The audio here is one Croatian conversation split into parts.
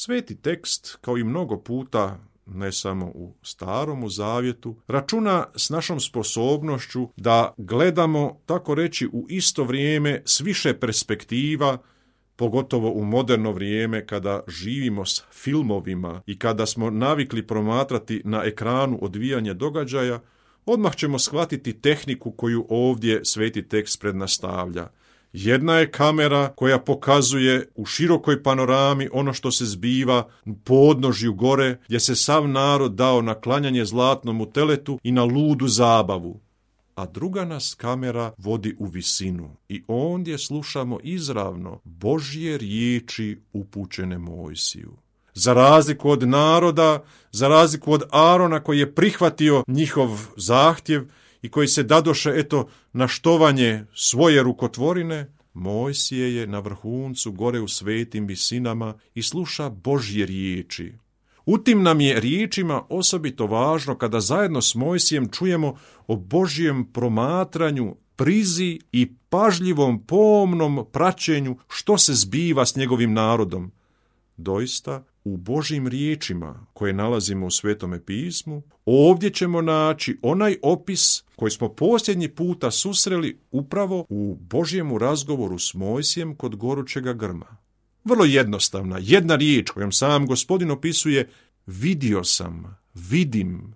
Sveti tekst, kao i mnogo puta, ne samo u Staromu zavjetu, računa s našom sposobnošću da gledamo, tako reći, u isto vrijeme s više perspektiva, pogotovo u moderno vrijeme kada živimo s filmovima i kada smo navikli promatrati na ekranu odvijanje događaja, odmah ćemo shvatiti tehniku koju ovdje sveti tekst prednastavlja. Jedna je kamera koja pokazuje u širokoj panorami ono što se zbiva u podnožju gore, gdje se sav narod dao na klanjanje zlatnom teletu i na ludu zabavu. A druga nas kamera vodi u visinu i ondje slušamo izravno Božje riječi upućene Mojsiju. Za razliku od naroda, za razliku od Arona koji je prihvatio njihov zahtjev i koji se dadoše na štovanje svoje rukotvorine, Mojsije je na vrhuncu gore u svetim visinama i sluša Božje riječi. U tim nam je riječima osobito važno kada zajedno s Mojsijem čujemo o Božjem promatranju, prizi i pažljivom pomnom praćenju što se zbiva s njegovim narodom. Doista, u Božjim riječima koje nalazimo u Svetome pismu, ovdje ćemo naći onaj opis koji smo posljednji puta susreli upravo u Božjemu razgovoru s Mojsijem kod gorućega grma. Vrlo jednostavna, jedna riječ kojom sam Gospodin opisuje: vidio sam, vidim,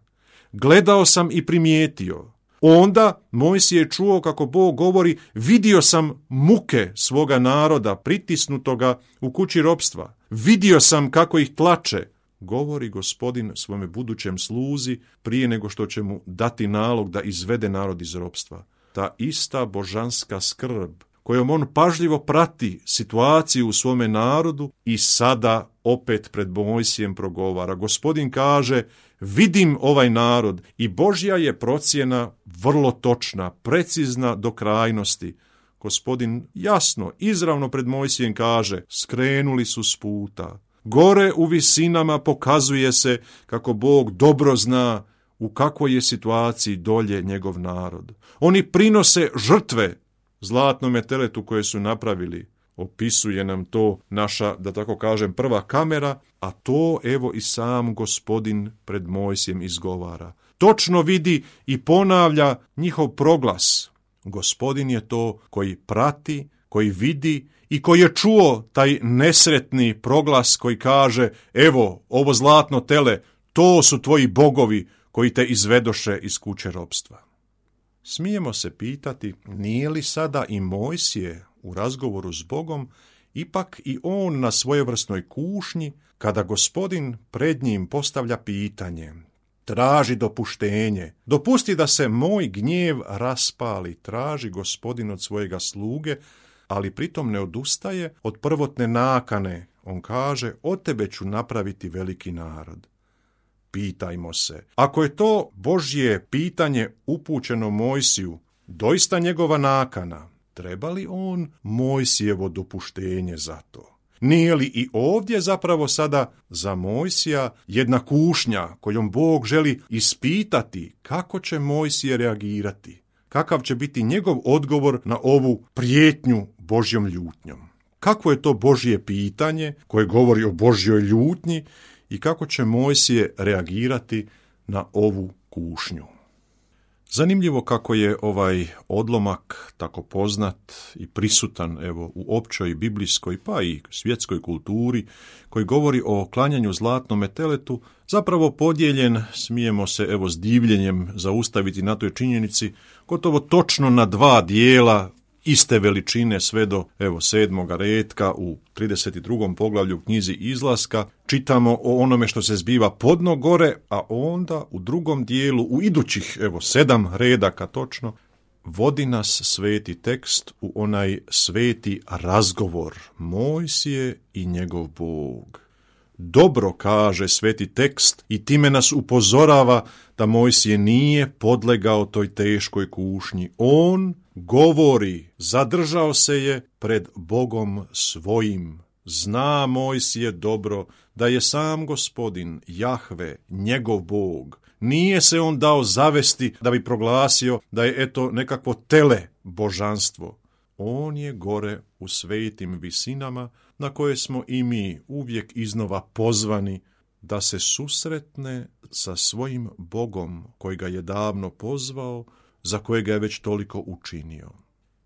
gledao sam i primijetio. Onda Mojsije je čuo kako Bog govori: vidio sam muke svoga naroda pritisnutoga u kući ropstva. Vidio sam kako ih tlače, govori Gospodin svome budućem sluzi prije nego što će mu dati nalog da izvede narod iz ropstva. Ta ista božanska skrb kojom on pažljivo prati situaciju u svome narodu i sada opet pred Mojsijem progovara. Gospodin kaže: vidim ovaj narod, i Božja je procjena vrlo točna, precizna do krajnosti. Gospodin jasno, izravno pred Mojsijem kaže: skrenuli su s puta. Gore u visinama pokazuje se kako Bog dobro zna u kakvoj je situaciji dolje njegov narod. Oni prinose žrtve zlatnome teletu koje su napravili. Opisuje nam to naša, da tako kažem, prva kamera, a to evo i sam Gospodin pred Mojsijem izgovara. Točno vidi i ponavlja njihov proglas. Gospodin je to koji prati, koji vidi i koji je čuo taj nesretni proglas koji kaže: evo, ovo zlatno tele, to su tvoji bogovi koji te izvedoše iz kuće ropstva. Smijemo se pitati, nije li sada i Mojsije u razgovoru s Bogom ipak i on na svojevrsnoj kušnji kada Gospodin pred njim postavlja pitanje: traži dopuštenje, dopusti da se moj gnjev raspali, traži Gospodin od svojega sluge, ali pritom ne odustaje od prvotne nakane. On kaže: od tebe ću napraviti veliki narod. Pitajmo se, ako je to Božje pitanje upućeno Mojsiju, doista njegova nakana, treba li on Mojsijevo dopuštenje za to? Nije li i ovdje zapravo sada za Mojsija jedna kušnja kojom Bog želi ispitati kako će Mojsije reagirati? Kakav će biti njegov odgovor na ovu prijetnju Božjom ljutnjom? Kakvo je to Božje pitanje koje govori o Božjoj ljutnji i kako će Mojsije reagirati na ovu kušnju? Zanimljivo kako je ovaj odlomak tako poznat i prisutan u općoj biblijskoj pa i svjetskoj kulturi koji govori o klanjanju zlatnome teletu, zapravo podijeljen, smijemo se s divljenjem zaustaviti na toj činjenici, gotovo točno na dva dijela iste veličine sve do 7. retka u 32. poglavlju knjizi Izlaska. Čitamo o onome što se zbiva podno gore, a onda u drugom dijelu, u idućih 7 redaka točno, vodi nas sveti tekst u onaj sveti razgovor Mojsije i njegov Bog. Dobro kaže sveti tekst i time nas upozorava da Mojsije nije podlegao toj teškoj kušnji. On govori, zadržao se je pred Bogom svojim. Zna Mojsije dobro da je sam Gospodin, Jahve, njegov Bog. Nije se on dao zavesti da bi proglasio da je nekakvo tele božanstvo. On je gore u svetim visinama, na koje smo i mi uvijek iznova pozvani da se susretne sa svojim Bogom koji ga je davno pozvao, za kojega je već toliko učinio.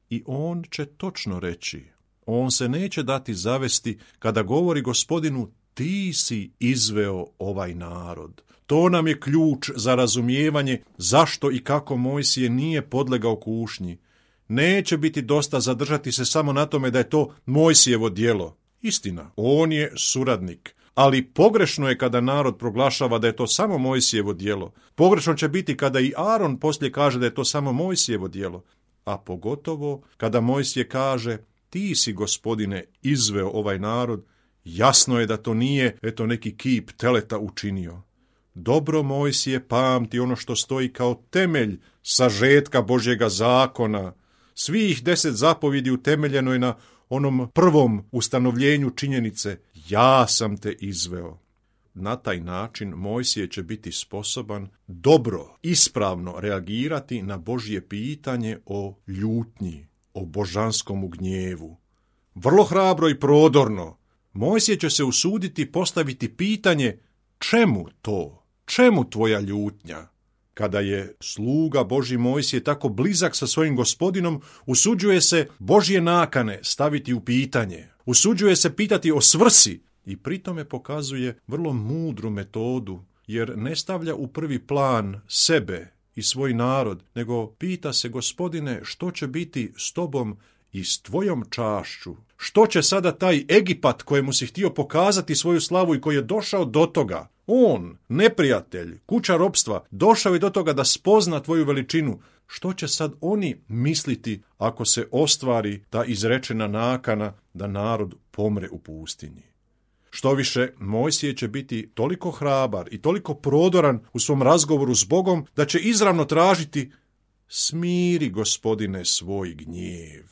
I on će točno reći, on se neće dati zavesti kada govori Gospodinu, ti si izveo ovaj narod. To nam je ključ za razumijevanje zašto i kako Mojsije nije podlegao kušnji. Neće biti dosta zadržati se samo na tome da je to Mojsijevo djelo. Istina, on je suradnik, ali pogrešno je kada narod proglašava da je to samo Mojsijevo djelo. Pogrešno će biti kada i Aron poslije kaže da je to samo Mojsijevo djelo, a pogotovo kada Mojsije kaže, ti si, Gospodine, izveo ovaj narod, jasno je da to nije neki kip teleta učinio. Dobro Mojsije pamti ono što stoji kao temelj sažetka Božjega zakona. Svih 10 zapovjedi utemeljeno je na onom prvom ustanovljenju činjenice, ja sam te izveo. Na taj način Mojsije će biti sposoban dobro, ispravno reagirati na Božje pitanje o ljutnji, o božanskom gnjevu. Vrlo hrabro i prodorno Mojsije će se usuditi postaviti pitanje, čemu to? Čemu tvoja ljutnja? Kada je sluga Božji Mojsije tako blizak sa svojim Gospodinom, usuđuje se Božje nakane staviti u pitanje. Usuđuje se pitati o svrsi i pritome pokazuje vrlo mudru metodu, jer ne stavlja u prvi plan sebe i svoj narod, nego pita se, Gospodine, što će biti s tobom i s tvojom čašću? Što će sada taj Egipat kojemu si htio pokazati svoju slavu i koji je došao do toga? On, neprijatelj, kuća ropstva, došao je do toga da spozna tvoju veličinu. Što će sad oni misliti ako se ostvari ta izrečena nakana da narod pomre u pustinji? Štoviše, Mojsije će biti toliko hrabar i toliko prodoran u svom razgovoru s Bogom da će izravno tražiti, smiri, Gospodine, svoj gnjev.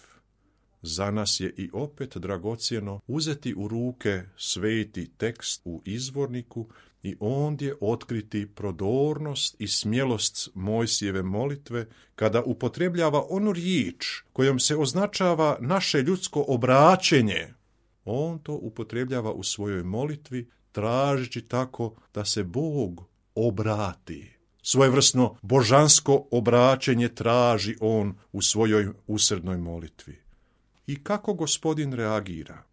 Za nas je i opet dragocjeno uzeti u ruke sveti tekst u izvorniku i ondje otkriti prodornost i smjelost Mojsijeve molitve kada upotrebljava onu riječ kojom se označava naše ljudsko obraćenje. On to upotrebljava u svojoj molitvi tražeći tako da se Bog obrati. Svojevrsno božansko obraćenje traži on u svojoj usrednoj molitvi. I kako Gospodin reagira?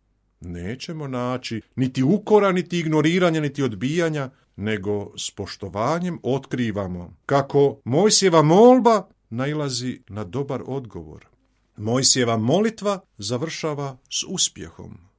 Nećemo naći niti ukora, niti ignoriranja, niti odbijanja, nego s poštovanjem otkrivamo kako Mojsijeva molba nailazi na dobar odgovor. Mojsijeva molitva završava s uspjehom.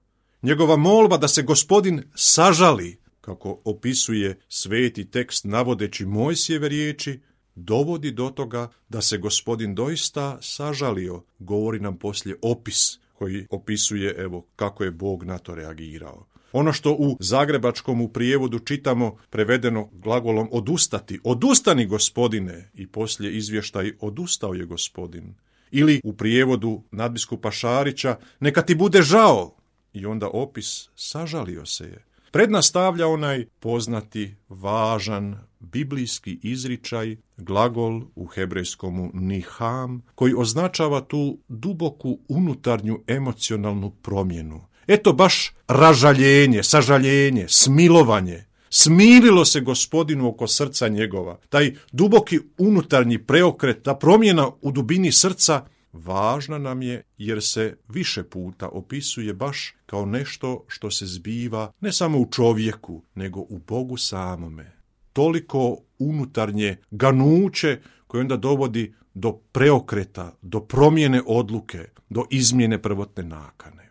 Njegova molba da se Gospodin sažali, kako opisuje sveti tekst navodeći Mojsijeve riječi, dovodi do toga da se Gospodin doista sažalio, govori nam poslije opis koji opisuje kako je Bog na to reagirao. Ono što u zagrebačkom prijevodu čitamo prevedeno glagolom odustati, odustani Gospodine, i poslije izvještaj odustao je Gospodin. Ili u prijevodu nadbiskupa Šarića neka ti bude žao, i onda opis sažalio se je. Prednastavlja onaj poznati, važan, biblijski izričaj, glagol u hebrejskomu niham, koji označava tu duboku unutarnju emocionalnu promjenu. Eto baš ražaljenje, sažaljenje, smilovanje. Smirilo se Gospodinu oko srca njegova. Taj duboki unutarnji preokret, ta promjena u dubini srca, važna nam je jer se više puta opisuje baš kao nešto što se zbiva ne samo u čovjeku, nego u Bogu samome. Toliko unutarnje ganuće koje onda dovodi do preokreta, do promjene odluke, do izmjene prvotne nakane.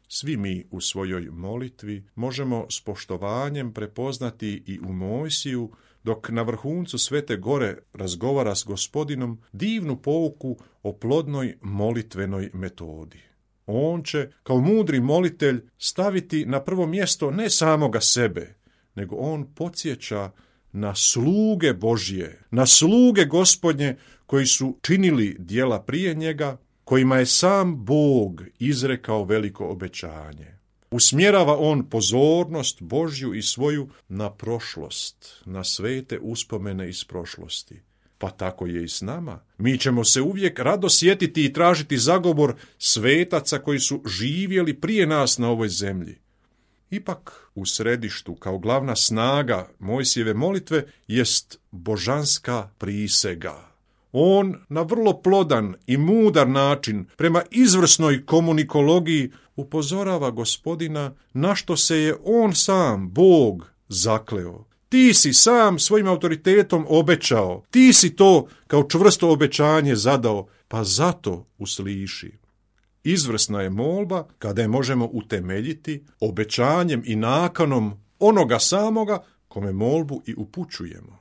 Svi mi u svojoj molitvi možemo s poštovanjem prepoznati i u Mojsiju, dok na vrhuncu Svete Gore razgovara s Gospodinom, divnu pouku o plodnoj molitvenoj metodi. On će, kao mudri molitelj, staviti na prvo mjesto ne samoga sebe, nego on podsjeća na sluge Božje, na sluge Gospodnje koji su činili djela prije njega, kojima je sam Bog izrekao veliko obećanje. Usmjerava on pozornost Božju i svoju na prošlost, na svete uspomene iz prošlosti. pa tako je i s nama. Mi ćemo se uvijek rado sjetiti i tražiti zagovor svetaca koji su živjeli prije nas na ovoj zemlji. Ipak u središtu, kao glavna snaga Mojsijeve molitve, jest božanska prisega. On na vrlo plodan i mudar način, prema izvrsnoj komunikologiji, upozorava Gospodina na što se je on sam, Bog, zakleo. Ti si sam svojim autoritetom obećao, ti si to kao čvrsto obećanje zadao, pa zato usliši. Izvrsna je molba kada je možemo utemeljiti obećanjem i nakanom onoga samoga kome molbu i upućujemo.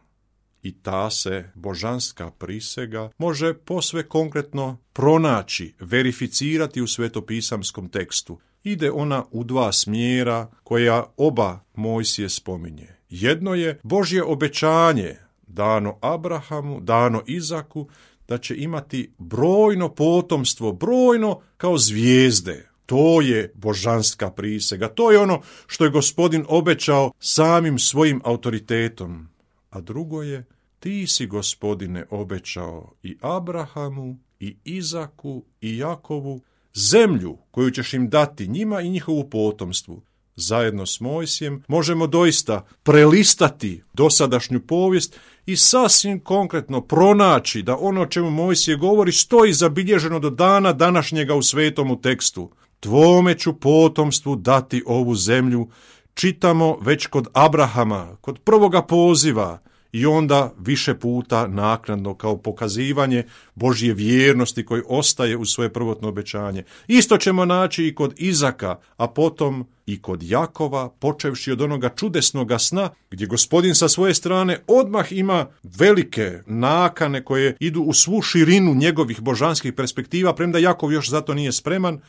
I ta se božanska prisega može posve konkretno pronaći, verificirati u svetopisamskom tekstu. Ide ona u dva smjera koja oba Mojsije spominje. Jedno je Božje obećanje dano Abrahamu, dano Izaku, da će imati brojno potomstvo, brojno kao zvijezde. To je božanska prisega, to je ono što je Gospodin obećao samim svojim autoritetom. A drugo je, ti si, Gospodine, obećao i Abrahamu, i Izaku, i Jakovu, zemlju koju ćeš im dati, njima i njihovu potomstvu. Zajedno s Mojsijem možemo doista prelistati dosadašnju povijest i sasvim konkretno pronaći da ono o čemu Mojsije govori stoji zabilježeno do dana današnjega u svetomu tekstu. Tvome ću potomstvu dati ovu zemlju, čitamo već kod Abrahama, kod prvoga poziva, i onda više puta naknadno kao pokazivanje Božje vjernosti koji ostaje u svoje prvotno obećanje. Isto ćemo naći i kod Izaka, a potom i kod Jakova, počevši od onoga čudesnoga sna, gdje Gospodin sa svoje strane odmah ima velike nakane koje idu u svu širinu njegovih božanskih perspektiva, premda Jakov još zato nije spreman,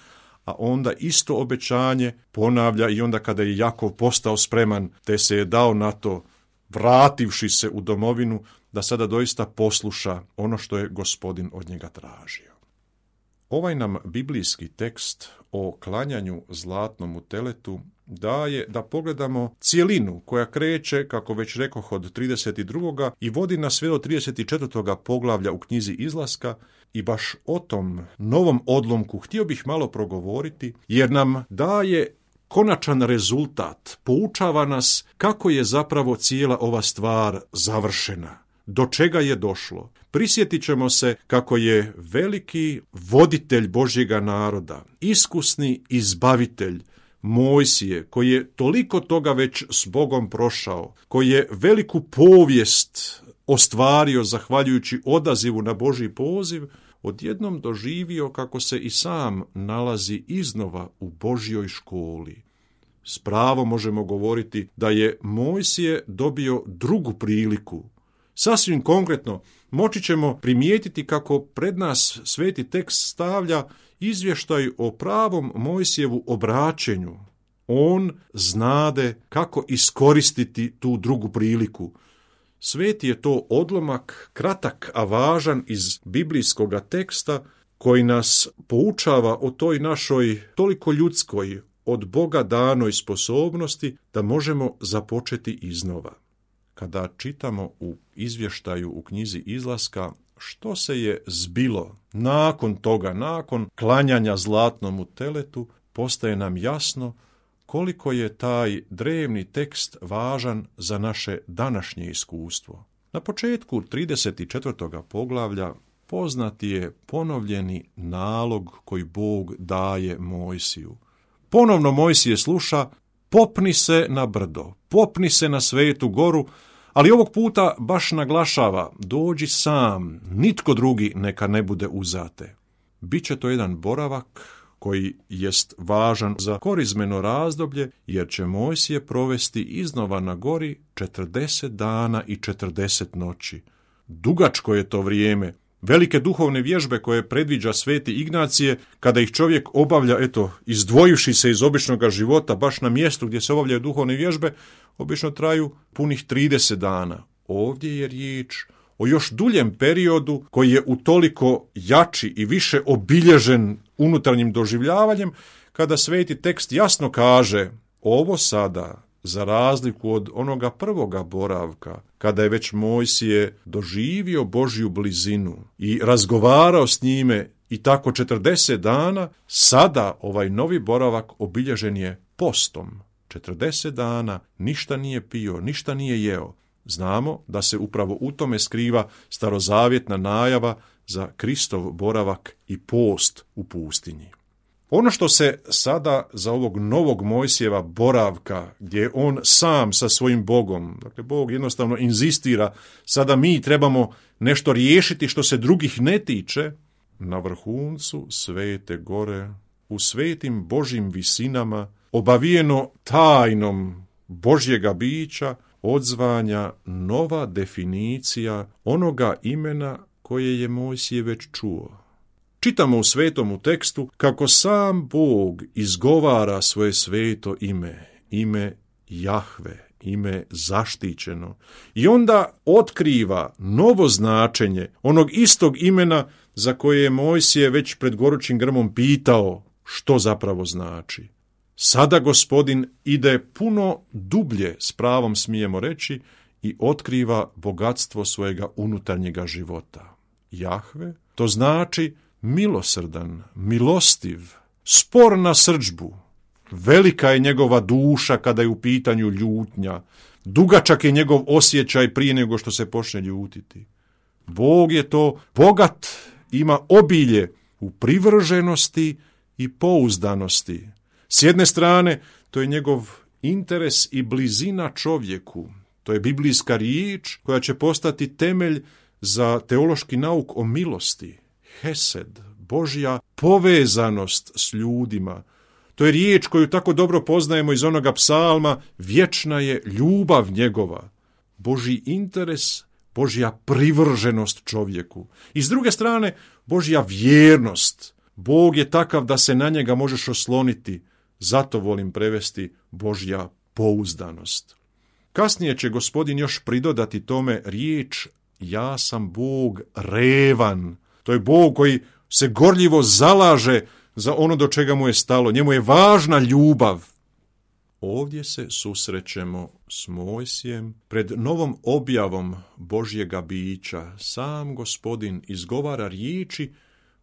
a onda isto obećanje ponavlja i onda kada je Jakov postao spreman, te se je dao na to, vrativši se u domovinu, da sada doista posluša ono što je Gospodin od njega tražio. Ovaj nam biblijski tekst o klanjanju zlatnom teletu daje da pogledamo cjelinu koja kreće, kako već rekoh, od 32. i vodi nas sve do 34. poglavlja u knjizi Izlaska, i baš o tom novom odlomku htio bih malo progovoriti, jer nam daje konačan rezultat, poučava nas kako je zapravo cijela ova stvar završena, do čega je došlo. Prisjetit ćemo se kako je veliki voditelj Božjega naroda, iskusni izbavitelj Mojsije, koji je toliko toga već s Bogom prošao, koji je veliku povijest ostvario zahvaljujući odazivu na Božji poziv, odjednom doživio kako se i sam nalazi iznova u Božjoj školi. S pravom možemo govoriti da je Mojsije dobio drugu priliku. Sasvim konkretno, moći ćemo primijetiti kako pred nas sveti tekst stavlja izvještaj o pravom Mojsijevu obraćenju. On znade kako iskoristiti tu drugu priliku. Sveti je to odlomak, kratak a važan iz biblijskoga teksta, koji nas poučava o toj našoj toliko ljudskoj, od Boga danoj sposobnosti da možemo započeti iznova. Kada čitamo u izvještaju u knjizi Izlaska što se je zbilo nakon toga, nakon klanjanja zlatnomu teletu, postaje nam jasno koliko je taj drevni tekst važan za naše današnje iskustvo. Na početku 34. poglavlja poznati je ponovljeni nalog koji Bog daje Mojsiju. Ponovno Mojsije sluša, popni se na brdo, popni se na svetu goru, ali ovog puta baš naglašava, dođi sam, nitko drugi neka ne bude uzate. Biće to jedan boravak koji jest važan za korizmeno razdoblje, jer će Mojsije provesti iznova na gori 40 dana i 40 noći. Dugačko je to vrijeme. Velike duhovne vježbe koje predviđa sveti Ignacije, kada ih čovjek obavlja, izdvojivši se iz običnog života, baš na mjestu gdje se obavljaju duhovne vježbe, obično traju punih 30 dana. Ovdje je riječ o još duljem periodu koji je utoliko jači i više obilježen unutarnjim doživljavanjem, kada sveti tekst jasno kaže, ovo sada za razliku od onoga prvoga boravka, kada je već Mojsije doživio Božju blizinu i razgovarao s njime i tako 40 dana, sada ovaj novi boravak obilježen je postom. 40 dana ništa nije pio, ništa nije jeo. Znamo da se upravo u tome skriva starozavjetna najava za Kristov boravak i post u pustinji. Ono što se sada za ovog novog Mojsijeva boravka, gdje je on sam sa svojim Bogom, dakle Bog jednostavno inzistira, sada mi trebamo nešto riješiti što se drugih ne tiče, na vrhuncu Svete gore, u svetim Božjim visinama, obavijeno tajnom Božjega bića, odzvanja nova definicija onoga imena koje je Mojsije već čuo. Čitamo u svetomu tekstu kako sam Bog izgovara svoje sveto ime Jahve, ime zaštićeno, i onda otkriva novo značenje onog istog imena za koje je Mojsije već pred gorućim grmom pitao što zapravo znači. Sada Gospodin ide puno dublje, s pravom smijemo reći, i otkriva bogatstvo svojega unutarnjega života. Jahve, to znači milosrdan, milostiv, spor na srdžbu. Velika je njegova duša kada je u pitanju ljutnja. Dugačak je njegov osjećaj prije nego što se počne ljutiti. Bog je to bogat, ima obilje u privrženosti i pouzdanosti. S jedne strane, to je njegov interes i blizina čovjeku. To je biblijska riječ koja će postati temelj za teološki nauk o milosti. Hesed, Božja povezanost s ljudima. To je riječ koju tako dobro poznajemo iz onoga psalma, vječna je ljubav njegova. Božji interes, Božja privrženost čovjeku. I s druge strane, Božja vjernost. Bog je takav da se na njega možeš osloniti. Zato volim prevesti Božja pouzdanost. Kasnije će Gospodin još pridodati tome riječ ja sam Bog revan. To je Bog koji se gorljivo zalaže za ono do čega mu je stalo. Njemu je važna ljubav. Ovdje se susrećemo s Mojsijem. Pred novom objavom Božjega bića sam Gospodin izgovara riječi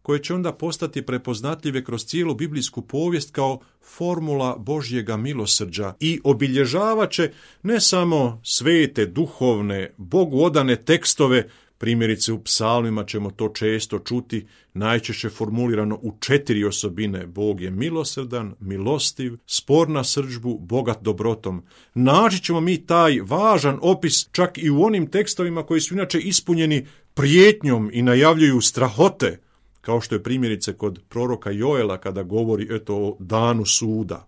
koje će onda postati prepoznatljive kroz cijelu biblijsku povijest kao formula Božjega milosrđa i obilježavat će ne samo svete, duhovne, Bogu odane tekstove, primjerice u psalmima ćemo to često čuti, najčešće formulirano u 4 osobine. Bog je milosrdan, milostiv, spor na srdžbu, bogat dobrotom. Naći ćemo mi taj važan opis čak i u onim tekstovima koji su inače ispunjeni prijetnjom i najavljuju strahote, kao što je primjerice kod proroka Joela kada govori o danu suda.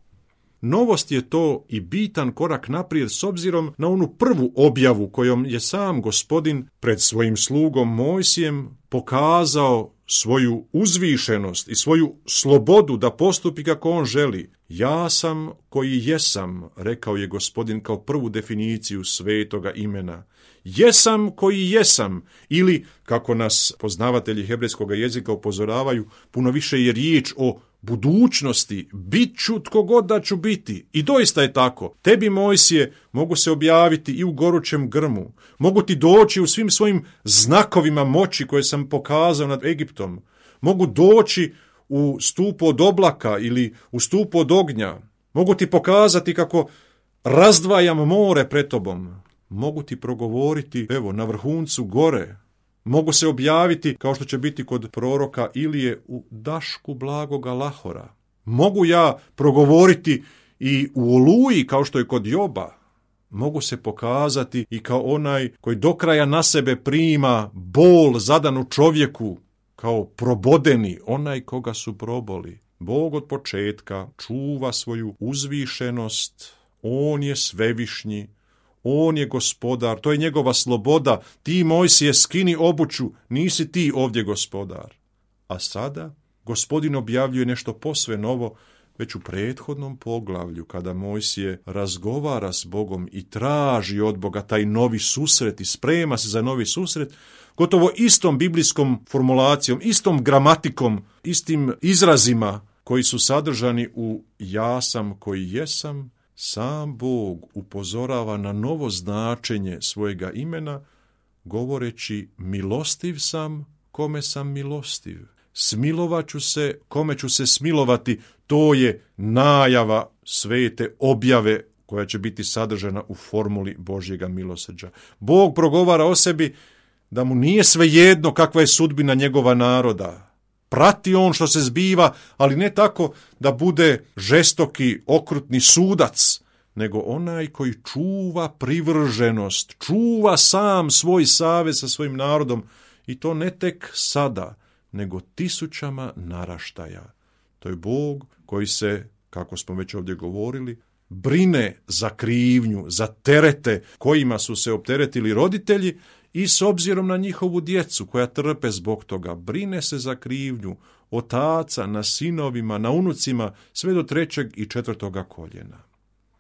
Novost je to i bitan korak naprijed s obzirom na onu prvu objavu kojom je sam Gospodin pred svojim slugom Mojsijem pokazao svoju uzvišenost i svoju slobodu da postupi kako on želi. Ja sam koji jesam, rekao je Gospodin kao prvu definiciju svetoga imena. Jesam koji jesam, ili, kako nas poznavatelji hebrejskog jezika upozoravaju, puno više je riječ o budućnosti, bit ću tko god da ću biti. I doista je tako. Tebi, Mojsije, mogu se objaviti i u gorućem grmu. Mogu ti doći u svim svojim znakovima moći koje sam pokazao nad Egiptom. Mogu doći u stupu od oblaka ili u stupu od ognja. Mogu ti pokazati kako razdvajam more pred tobom. Mogu ti progovoriti, na vrhuncu gore. Mogu se objaviti, kao što će biti kod proroka Ilije, u dašku blagoga Lahora. Mogu ja progovoriti i u oluji, kao što je kod Joba. Mogu se pokazati i kao onaj koji do kraja na sebe prima bol zadanu čovjeku, kao probodeni, onaj koga su proboli. Bog od početka čuva svoju uzvišenost, on je svevišnji, on je gospodar, to je njegova sloboda. Ti, Mojsije, skini obuću, nisi ti ovdje gospodar. A sada Gospodin objavljuje nešto posve novo već u prethodnom poglavlju, kada Mojsije razgovara s Bogom i traži od Boga taj novi susret i sprema se za novi susret, gotovo istom biblijskom formulacijom, istom gramatikom, istim izrazima koji su sadržani u ja sam koji jesam, sam Bog upozorava na novo značenje svojega imena, govoreći milostiv sam kome sam milostiv. Smilovat ću se kome ću se smilovati. To je najava svete objave koja će biti sadržana u formuli Božjega milosrđa. Bog progovara o sebi da mu nije svejedno kakva je sudbina njegova naroda. Prati on što se zbiva, ali ne tako da bude žestoki, okrutni sudac, nego onaj koji čuva privrženost, čuva sam svoj savez sa svojim narodom, i to ne tek sada, nego tisućama naraštaja. To je Bog koji se, kako smo već ovdje govorili, brine za krivnju, za terete kojima su se opteretili roditelji i s obzirom na njihovu djecu koja trpe zbog toga. Brine se za krivnju otaca na sinovima, na unucima, sve do 3. i 4. koljena.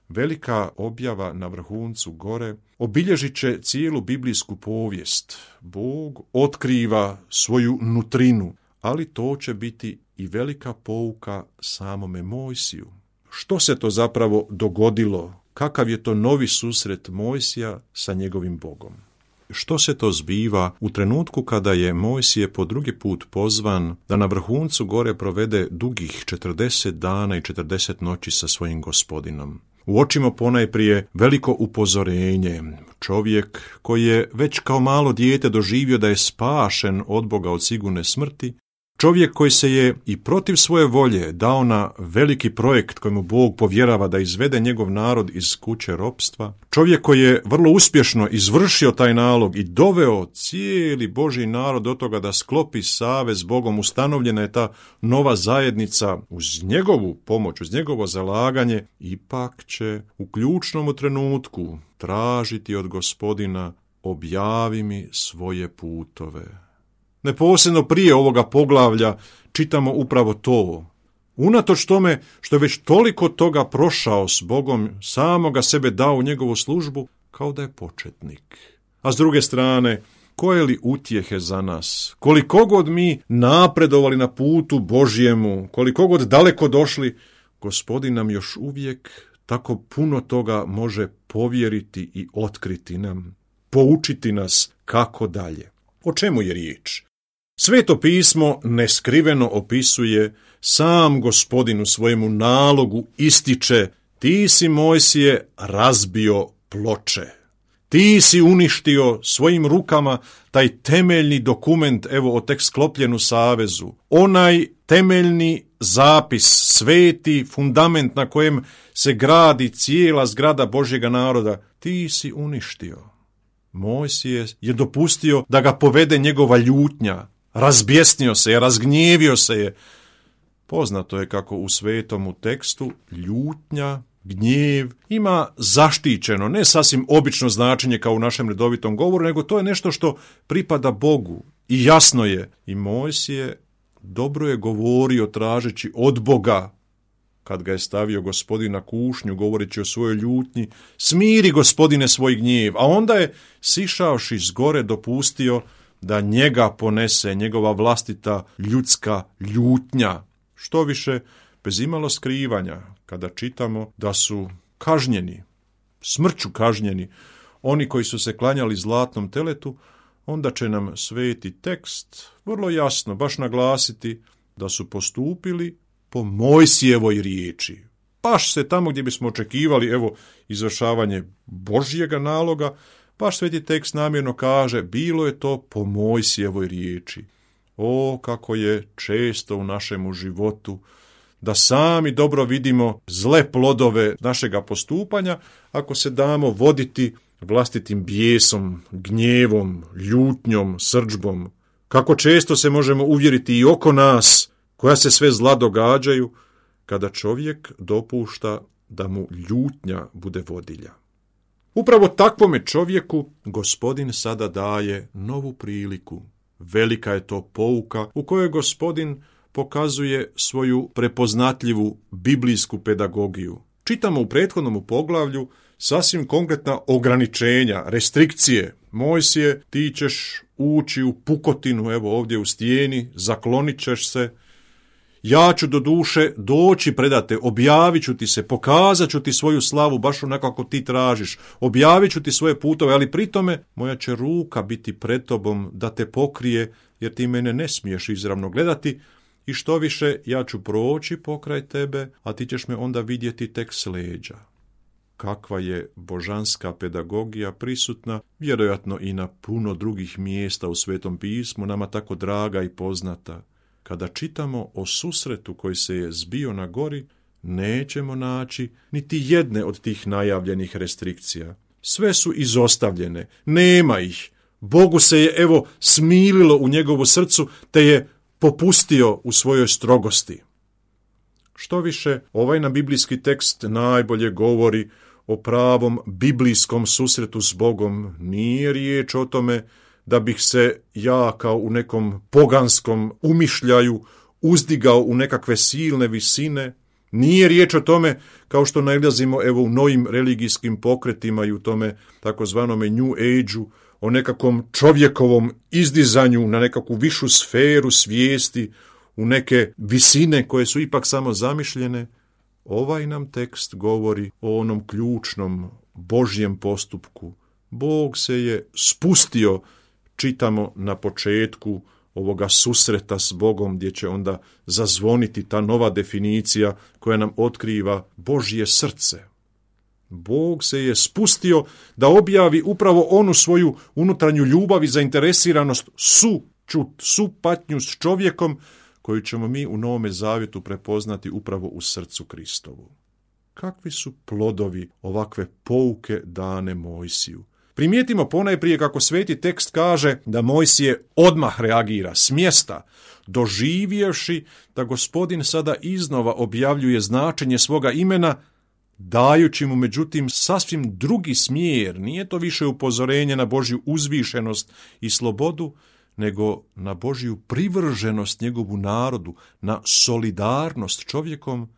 Velika objava na vrhuncu gore obilježit će cijelu biblijsku povijest. Bog otkriva svoju nutrinu, ali to će biti i velika pouka samome Mojsiju. Što se to zapravo dogodilo? Kakav je to novi susret Mojsija sa njegovim Bogom? Što se to zbiva u trenutku kada je Mojsije po drugi put pozvan da na vrhuncu gore provede dugih 40 dana i 40 noći sa svojim Gospodinom? Uočimo ponajprije veliko upozorenje. Čovjek koji je već kao malo dijete doživio da je spašen od Boga od sigurne smrti, čovjek koji se je i protiv svoje volje dao na veliki projekt kojemu Bog povjerava da izvede njegov narod iz kuće ropstva, čovjek koji je vrlo uspješno izvršio taj nalog i doveo cijeli Božji narod do toga da sklopi savez s Bogom, ustanovljena je ta nova zajednica uz njegovu pomoć, uz njegovo zalaganje, ipak će u ključnom trenutku tražiti od Gospodina: objavi mi svoje putove. Neposredno prije ovoga poglavlja čitamo upravo to. Unatoč tome što je već toliko toga prošao s Bogom, samoga sebe dao u njegovu službu, kao da je početnik. A s druge strane, koje li utjehe za nas? Koliko god mi napredovali na putu Božjemu, koliko god daleko došli, Gospodin nam još uvijek tako puno toga može povjeriti i otkriti nam, poučiti nas kako dalje. O čemu je riječ? Sveto pismo neskriveno opisuje, sam Gospodin u svojemu nalogu ističe: ti si, Mojsije, razbio ploče. Ti si uništio svojim rukama taj temeljni dokument, evo, o tek sklopljenu savezu. Onaj temeljni zapis, sveti fundament na kojem se gradi cijela zgrada Božjega naroda, ti si uništio. Mojsije je dopustio da ga povede njegova ljutnja. Razbjesnio se je, razgnjevio se je. Poznato je kako u svetomu tekstu ljutnja, gnjev ima zaštićeno, ne sasvim obično značenje kao u našem redovitom govoru, nego to je nešto što pripada Bogu. I jasno je, i Mojsije dobro je govorio tražeći od Boga, kad ga je stavio Gospodin na kušnju, govoreći o svojoj ljutnji: smiri, Gospodine, svoj gnjev. A onda je, sišavši s gore, dopustio da njega ponese njegova vlastita ljudska ljutnja. Što više, bez imalo skrivanja, kada čitamo da su kažnjeni, smrću kažnjeni, oni koji su se klanjali zlatnom teletu, onda će nam sveti tekst vrlo jasno baš naglasiti da su postupili po Mojsijevoj riječi. Baš se tamo gdje bismo očekivali, evo, izvršavanje Božjega naloga, baš sveti tekst namjerno kaže: bilo je to po Mojsijevoj riječi. O, kako je često u našemu životu da sami dobro vidimo zle plodove našega postupanja ako se damo voditi vlastitim bijesom, gnjevom, ljutnjom, srdžbom. Kako često se možemo uvjeriti i oko nas koja se sve zla događaju kada čovjek dopušta da mu ljutnja bude vodilja. Upravo takvome čovjeku Gospodin sada daje novu priliku. Velika je to pouka u kojoj Gospodin pokazuje svoju prepoznatljivu biblijsku pedagogiju. Čitamo u prethodnom poglavlju sasvim konkretna ograničenja, restrikcije. Mojsije, ti ćeš ući u pukotinu, evo ovdje u stijeni, zaklonit ćeš se Ja ću do duše doći predate, objavit ću ti se, pokazat ću ti svoju slavu baš onako kako ti tražiš, objavit ću ti svoje putove, ali pri tome moja će ruka biti pred tobom da te pokrije, jer ti mene ne smiješ izravno gledati, i što više, ja ću proći pokraj tebe, a ti ćeš me onda vidjeti tek s leđa. Kakva je božanska pedagogija prisutna, vjerojatno i na puno drugih mjesta u Svetom pismu, nama tako draga i poznata. Kada čitamo o susretu koji se je zbio na gori, nećemo naći niti jedne od tih najavljenih restrikcija. Sve su izostavljene, nema ih. Bogu se je, evo, smililo u njegovu srcu, te je popustio u svojoj strogosti. Što više, ovaj nam biblijski tekst najbolje govori o pravom biblijskom susretu s Bogom. Nije riječ o tome da bih se ja kao u nekom poganskom umišljaju uzdigao u nekakve silne visine. Nije riječ o tome, kao što nailazimo evo u novim religijskim pokretima i u tome takozvanome New Age-u, o nekakvom čovjekovom izdizanju na nekakvu višu sferu svijesti, u neke visine koje su ipak samo zamišljene. Ovaj nam tekst govori o onom ključnom Božjem postupku. Bog se je spustio, čitamo na početku ovoga susreta s Bogom, gdje će onda zazvoniti ta nova definicija koja nam otkriva Božje srce. Bog se je spustio da objavi upravo onu svoju unutarnju ljubav i zainteresiranost, supatnju s čovjekom, koju ćemo mi u Novome Zavjetu prepoznati upravo u srcu Kristovu. Kakvi su plodovi ovakve pouke dane Mojsiju? Primijetimo ponajprije kako sveti tekst kaže da Mojsije odmah reagira s mjesta, doživjevši da Gospodin sada iznova objavljuje značenje svoga imena, dajući mu međutim sasvim drugi smjer. Nije to više upozorenje na Božju uzvišenost i slobodu, nego na Božju privrženost njegovu narodu, na solidarnost čovjekom.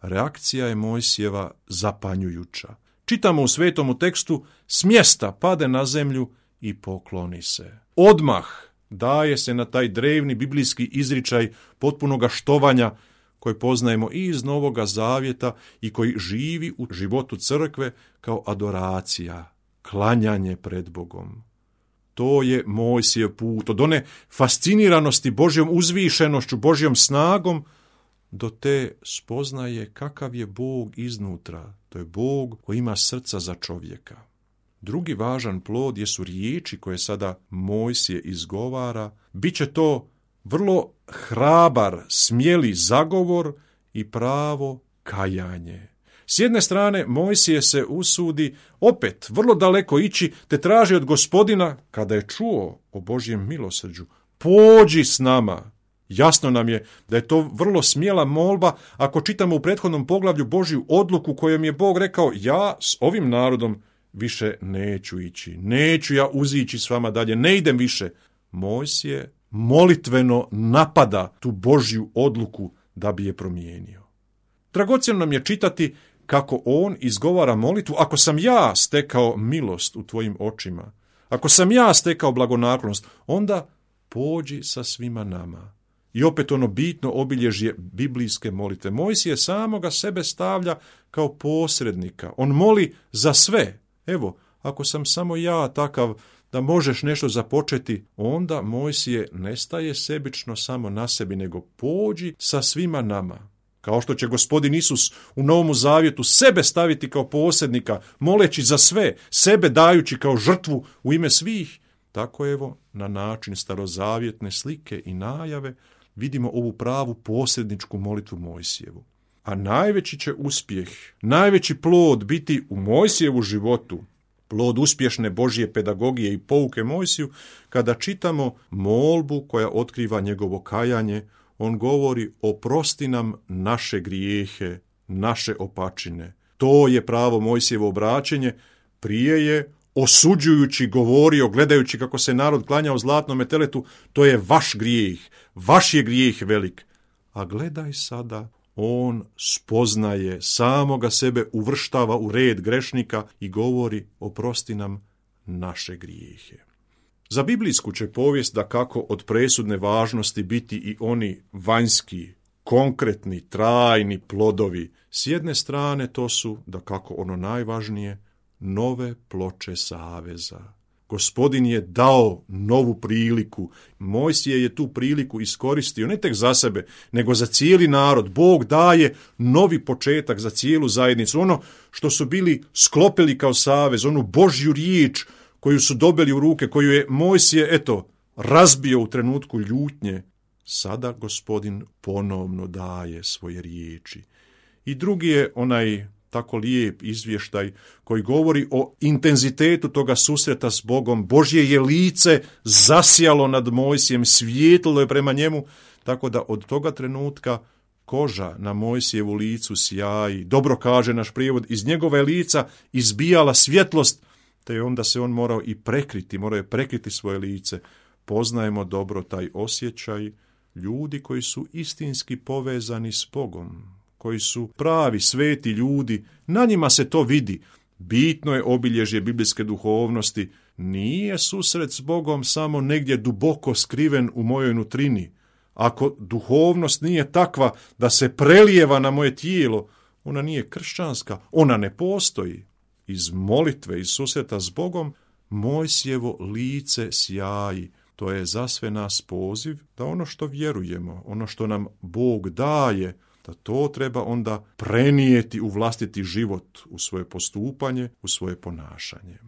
Reakcija je Mojsijeva zapanjujuća. Čitamo u svetomu tekstu, s mjesta pade na zemlju i pokloni se. Odmah daje se na taj drevni biblijski izričaj potpunoga štovanja koji poznajemo i iz Novoga Zavjeta i koji živi u životu crkve kao adoracija, klanjanje pred Bogom. To je Mojsijev put, od one fasciniranosti Božjom uzvišenošću, Božjom snagom, do te spoznaje kakav je Bog iznutra. To je Bog koji ima srca za čovjeka. Drugi važan plod jesu riječi koje sada Mojsije izgovara. Biće to vrlo hrabar, smjeli zagovor i pravo kajanje. S jedne strane, Mojsije se usudi opet vrlo daleko ići, te traži od Gospodina, kada je čuo o Božjem milosrđu, pođi s nama. Jasno nam je da je to vrlo smjela molba ako čitamo u prethodnom poglavlju Božju odluku kojom je Bog rekao, ja s ovim narodom više neću ići, neću ja uzići s vama dalje, ne idem više. Mojsije molitveno napada tu Božju odluku da bi je promijenio. Dragocjeno nam je čitati kako on izgovara molitvu, ako sam ja stekao milost u tvojim očima, ako sam ja stekao blagonaklonost, onda pođi sa svima nama. I opet ono bitno obilježje biblijske molitve. Mojsije samoga sebe stavlja kao posrednika. On moli za sve. Evo, ako sam samo ja takav da možeš nešto započeti, onda Mojsije ne staje sebično samo na sebi, nego pođi sa svima nama. Kao što će Gospodin Isus u Novom Zavjetu sebe staviti kao posrednika, moleći za sve, sebe dajući kao žrtvu u ime svih, tako evo, na način starozavjetne slike i najave, vidimo ovu pravu posredničku molitvu Mojsijevu. A najveći će uspjeh, najveći plod biti u Mojsijevu životu, plod uspješne Božje pedagogije i pouke Mojsiju, kada čitamo molbu koja otkriva njegovo kajanje. On govori, oprosti nam naše grijehe, naše opačine. To je pravo Mojsijevo obraćenje. Prije je osuđujući govorio, gledajući kako se narod klanjao zlatnome teletu, to je vaš grijeh, vaš je grijeh velik. A gledaj sada, on spoznaje, samoga sebe uvrštava u red grešnika i govori, oprosti nam naše grijehe. Za biblijsku će povijest da kako od presudne važnosti biti i oni vanjski, konkretni, trajni plodovi. S jedne strane to su, dakako ono najvažnije, nove ploče saveza. Gospodin je dao novu priliku. Mojsije je tu priliku iskoristio ne tek za sebe, nego za cijeli narod. Bog daje novi početak za cijelu zajednicu. Ono što su bili sklopili kao savez, onu Božju riječ koju su dobili u ruke, koju je Mojsije, razbio u trenutku ljutnje. Sada Gospodin ponovno daje svoje riječi. I drugi je onaj tako lijep izvještaj koji govori o intenzitetu toga susreta s Bogom. Božje je lice zasjalo nad Mojsijem, svijetlilo je prema njemu, tako da od toga trenutka koža na Mojsijevu licu sjaji. Dobro kaže naš prijevod, iz njegova je lica izbijala svjetlost, te onda se on morao je prekriti svoje lice. Poznajemo dobro taj osjećaj ljudi koji su istinski povezani s Bogom, koji su pravi, sveti ljudi, na njima se to vidi. Bitno je obilježje biblijske duhovnosti. Nije susret s Bogom samo negdje duboko skriven u mojoj nutrini. Ako duhovnost nije takva da se prelijeva na moje tijelo, ona nije kršćanska, ona ne postoji. Iz molitve, iz susreta s Bogom, Mojsijevo lice sjaji. To je za sve nas poziv da ono što vjerujemo, ono što nam Bog daje, da to treba onda prenijeti u vlastiti život, u svoje postupanje, u svoje ponašanje.